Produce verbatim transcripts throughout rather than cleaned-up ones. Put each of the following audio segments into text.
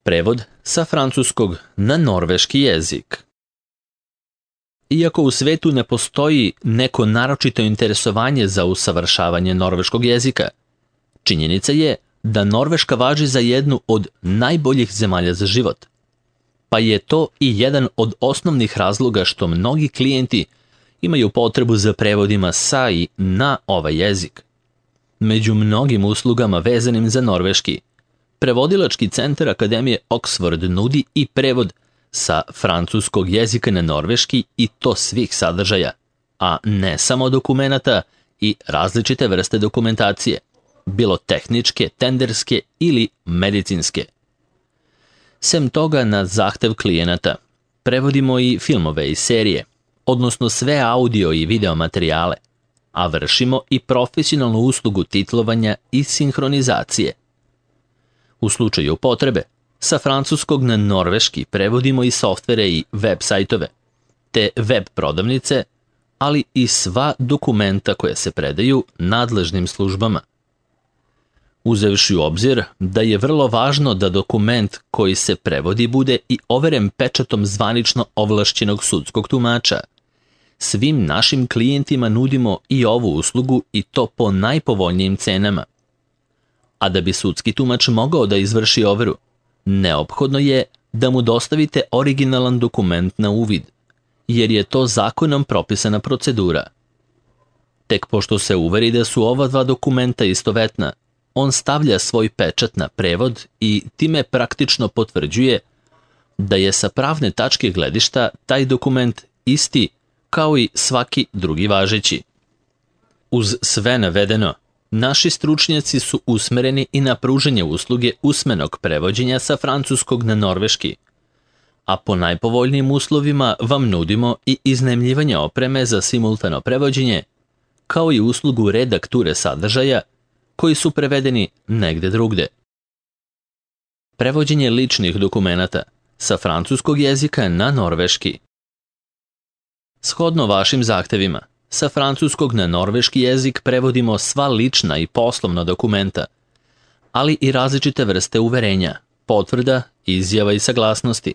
Prevod sa francuskog na norveški jezik. Iako u svetu ne postoji neko naročito interesovanje za usavršavanje norveškog jezika, činjenica je da Norveška važi za jednu od najboljih zemalja za život, pa je to i jedan od osnovnih razloga što mnogi klijenti imaju potrebu za prevodima sa i na ovaj jezik. Među mnogim uslugama vezanim za norveški, Prevodilački centar Akademije Oxford nudi i prevod sa francuskog jezika na norveški i to svih sadržaja, a ne samo dokumenata i različite vrste dokumentacije, bilo tehničke, tenderske ili medicinske. Sem toga, na zahtev klijenata, prevodimo i filmove i serije, odnosno sve audio i video materijale, a vršimo i profesionalnu uslugu titlovanja i sinhronizacije. U slučaju potrebe, sa francuskog na norveški prevodimo i softvere i web sajtove, te web prodavnice, ali i sva dokumenta koja se predaju nadležnim službama. Uzevši u obzir da je vrlo važno da dokument koji se prevodi bude i overen pečatom zvanično ovlašćenog sudskog tumača, svim našim klijentima nudimo i ovu uslugu i to po najpovoljnijim cenama. A da bi sudski tumač mogao da izvrši overu, neophodno je da mu dostavite originalan dokument na uvid, jer je to zakonom propisana procedura. Tek pošto se uveri da su ova dva dokumenta istovetna, on stavlja svoj pečat na prevod i time praktično potvrđuje da je sa pravne tačke gledišta taj dokument isti kao i svaki drugi važeći. Uz sve navedeno, naši stručnjaci su usmereni i na pružanje usluge usmenog prevođenja sa francuskog na norveški, a po najpovoljnijim uslovima vam nudimo i iznajmljivanje opreme za simultano prevođenje, kao i uslugu redakture sadržaja koji su prevedeni negde drugde. Prevođenje ličnih dokumenata sa francuskog jezika na norveški. Shodno vašim zahtevima, sa francuskog na norveški jezik prevodimo sva lična i poslovna dokumenta, ali i različite vrste uverenja, potvrda, izjava i saglasnosti,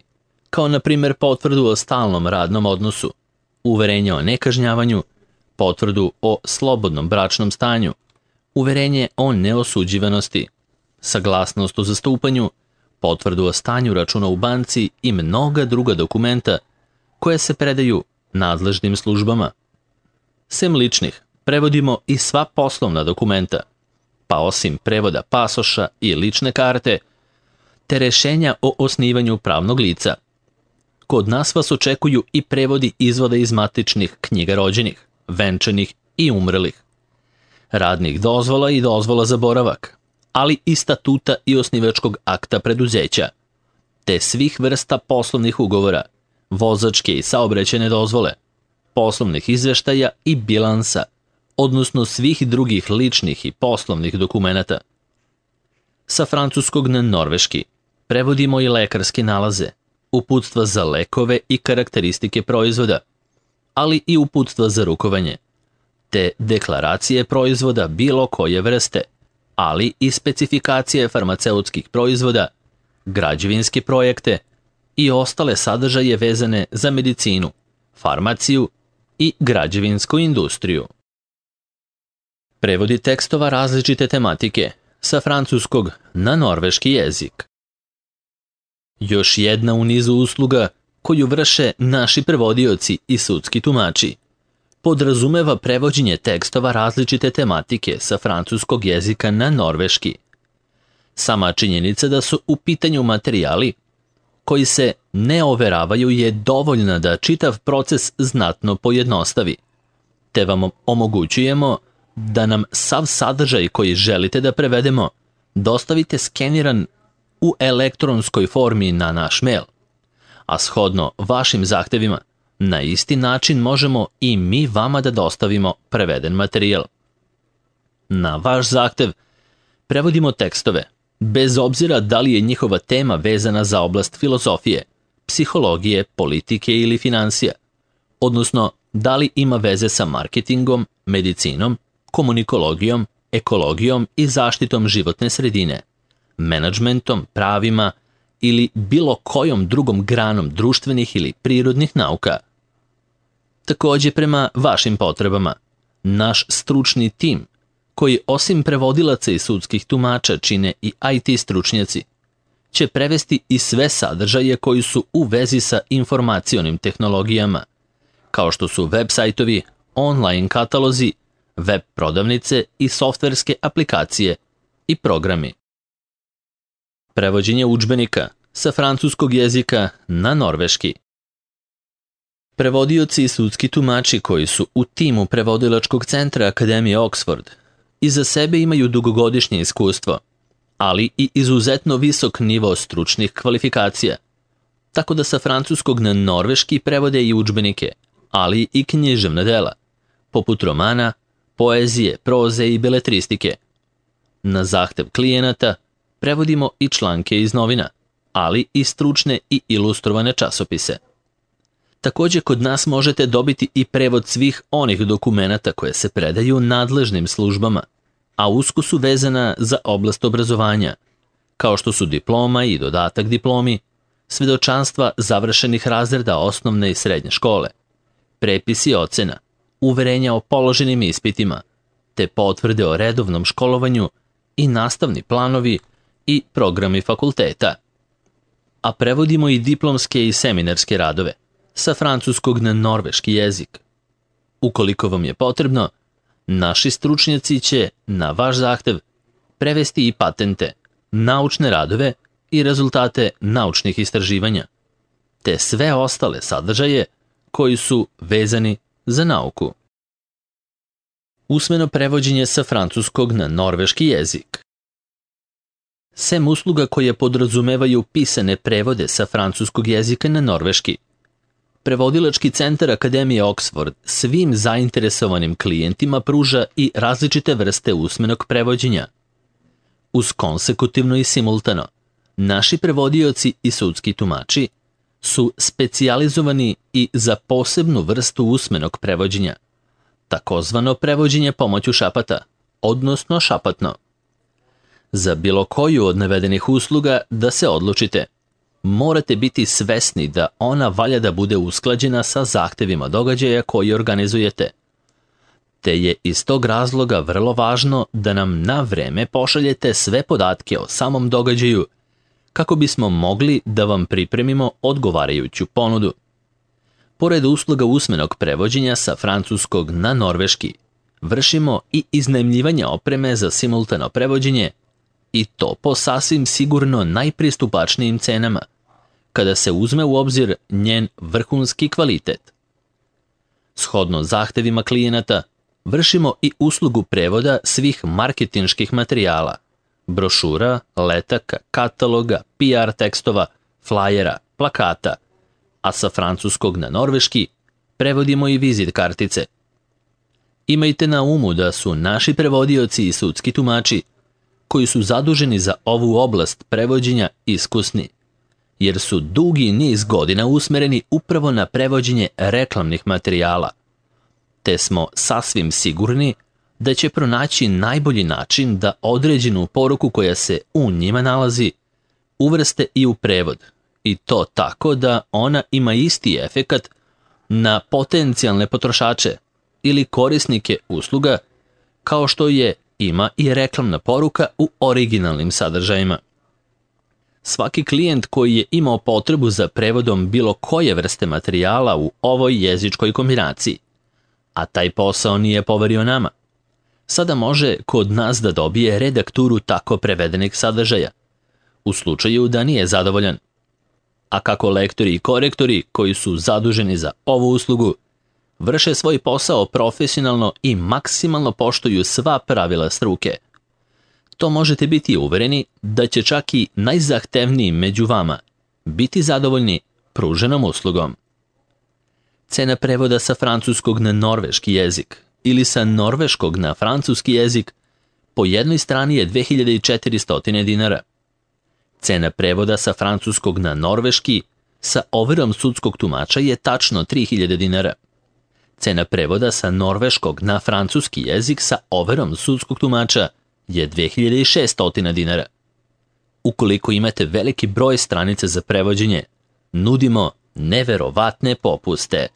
kao na primjer potvrdu o stalnom radnom odnosu, uverenje o nekažnjavanju, potvrdu o slobodnom bračnom stanju, uverenje o neosuđivanosti, saglasnost o zastupanju, potvrdu o stanju računa u banci i mnoga druga dokumenta koje se predaju nadležnim službama. Sem ličnih, prevodimo i sva poslovna dokumenta, pa osim prevoda pasoša i lične karte, te rešenja o osnivanju pravnog lica. Kod nas vas očekuju i prevodi izvoda iz matičnih knjiga rođenih, venčanih i umrlih, radnih dozvola i dozvola za boravak, ali i statuta i osnivačkog akta preduzeća, te svih vrsta poslovnih ugovora, vozačke i saobraćajne dozvole, poslovnih izveštaja i bilansa, odnosno svih drugih ličnih i poslovnih dokumenata. Sa francuskog na norveški prevodimo i lekarske nalaze, uputstva za lekove i karakteristike proizvoda, ali i uputstva za rukovanje, te deklaracije proizvoda bilo koje vrste, ali i specifikacije farmaceutskih proizvoda, građevinske projekte i ostale sadržaje vezane za medicinu, farmaciju i građevinsku industriju. Prevodi tekstova različite tematike sa francuskog na norveški jezik. Još jedna u nizu usluga koju vrše naši prevodioci i sudski tumači podrazumeva prevođenje tekstova različite tematike sa francuskog jezika na norveški. Sama činjenica da su u pitanju materijali koji se ne overavaju je dovoljna da čitav proces znatno pojednostavi, te vam omogućujemo da nam sav sadržaj koji želite da prevedemo dostavite skeniran u elektronskoj formi na naš mail, a shodno vašim zahtevima, na isti način možemo i mi vama da dostavimo preveden materijal. Na vaš zahtev prevodimo tekstove, bez obzira da li je njihova tema vezana za oblast filozofije, psihologije, politike ili financija, odnosno da li ima veze sa marketingom, medicinom, komunikologijom, ekologijom i zaštitom životne sredine, menadžmentom, pravima ili bilo kojom drugom granom društvenih ili prirodnih nauka. Takođe, prema vašim potrebama, naš stručni tim, koji osim prevodilaca i sudskih tumača čine i I T stručnjaci, će prevesti i sve sadržaje koji su u vezi sa informacionim tehnologijama, kao što su web sajtovi, online katalozi, web prodavnice i softverske aplikacije i programi. Prevođenje udžbenika sa francuskog jezika na norveški. Prevodioci i sudski tumači koji su u timu prevodilačkog centra Akademije Oxford iza sebe imaju dugogodišnje iskustvo, ali i izuzetno visok nivo stručnih kvalifikacija, tako da sa francuskog na norveški prevode i udžbenike, ali i književna dela, poput romana, poezije, proze i beletristike. Na zahtev klijenata prevodimo i članke iz novina, ali i stručne i ilustrovane časopise. Takođe, kod nas možete dobiti i prevod svih onih dokumenata koje se predaju nadležnim službama, a usko su vezana za oblast obrazovanja, kao što su diploma i dodatak diplomi, svedočanstva završenih razreda osnovne i srednje škole, prepisi ocena, uverenja o položenim ispitima, te potvrde o redovnom školovanju i nastavni planovi i programi fakulteta. A prevodimo i diplomske i seminarske radove sa francuskog na norveški jezik. Ukoliko vam je potrebno, naši stručnjaci će, na vaš zahtev, prevesti i patente, naučne radove i rezultate naučnih istraživanja, te sve ostale sadržaje koji su vezani za nauku. Usmeno prevođenje sa francuskog na norveški jezik. Sem usluga koje podrazumevaju pisane prevode sa francuskog jezika na norveški, Prevodilački centar Akademije Oxford svim zainteresovanim klijentima pruža i različite vrste usmenog prevođenja. Uz konsekutivno i simultano, naši prevodioci i sudski tumači su specijalizovani i za posebnu vrstu usmenog prevođenja, takozvano prevođenje pomoću šapata, odnosno šapatno. Za bilo koju od navedenih usluga da se odlučite, morate biti svesni da ona valja da bude usklađena sa zahtevima događaja koji organizujete. Te je iz tog razloga vrlo važno da nam na vreme pošaljete sve podatke o samom događaju kako bismo mogli da vam pripremimo odgovarajuću ponudu. Pored usluga usmenog prevođenja sa francuskog na norveški, vršimo i iznajmljivanje opreme za simultano prevođenje i to po sasvim sigurno najpristupačnijim cenama, kada se uzme u obzir njen vrhunski kvalitet. Shodno zahtevima klijenata, vršimo i uslugu prevoda svih marketinških materijala, brošura, letaka, kataloga, P R tekstova, flajera, plakata, a sa francuskog na norveški prevodimo i vizit kartice. Imajte na umu da su naši prevodioci i sudski tumači, koji su zaduženi za ovu oblast prevođenja, iskusni, jer su dugi niz godina usmereni upravo na prevođenje reklamnih materijala, te smo sasvim sigurni da će pronaći najbolji način da određenu poruku koja se u njima nalazi uvrste i u prevod, i to tako da ona ima isti efekat na potencijalne potrošače ili korisnike usluga kao što je ima i reklamna poruka u originalnim sadržajima. Svaki klijent koji je imao potrebu za prevodom bilo koje vrste materijala u ovoj jezičkoj kombinaciji, a taj posao nije poverio nama, sada može kod nas da dobije redakturu tako prevedenih sadržaja, u slučaju da nije zadovoljan. A kako lektori i korektori koji su zaduženi za ovu uslugu vrše svoj posao profesionalno i maksimalno poštuju sva pravila struke, to možete biti uvereni da će čak i najzahtevniji među vama biti zadovoljni pruženom uslugom. Cena prevoda sa francuskog na norveški jezik ili sa norveškog na francuski jezik po jednoj strani je dve hiljade četiristo dinara. Cena prevoda sa francuskog na norveški sa overom sudskog tumača je tačno tri hiljade dinara. Cena prevoda sa norveškog na francuski jezik sa overom sudskog tumača je dve hiljade šesto dinara. Ukoliko imate veliki broj stranica za prevođenje, nudimo neverovatne popuste.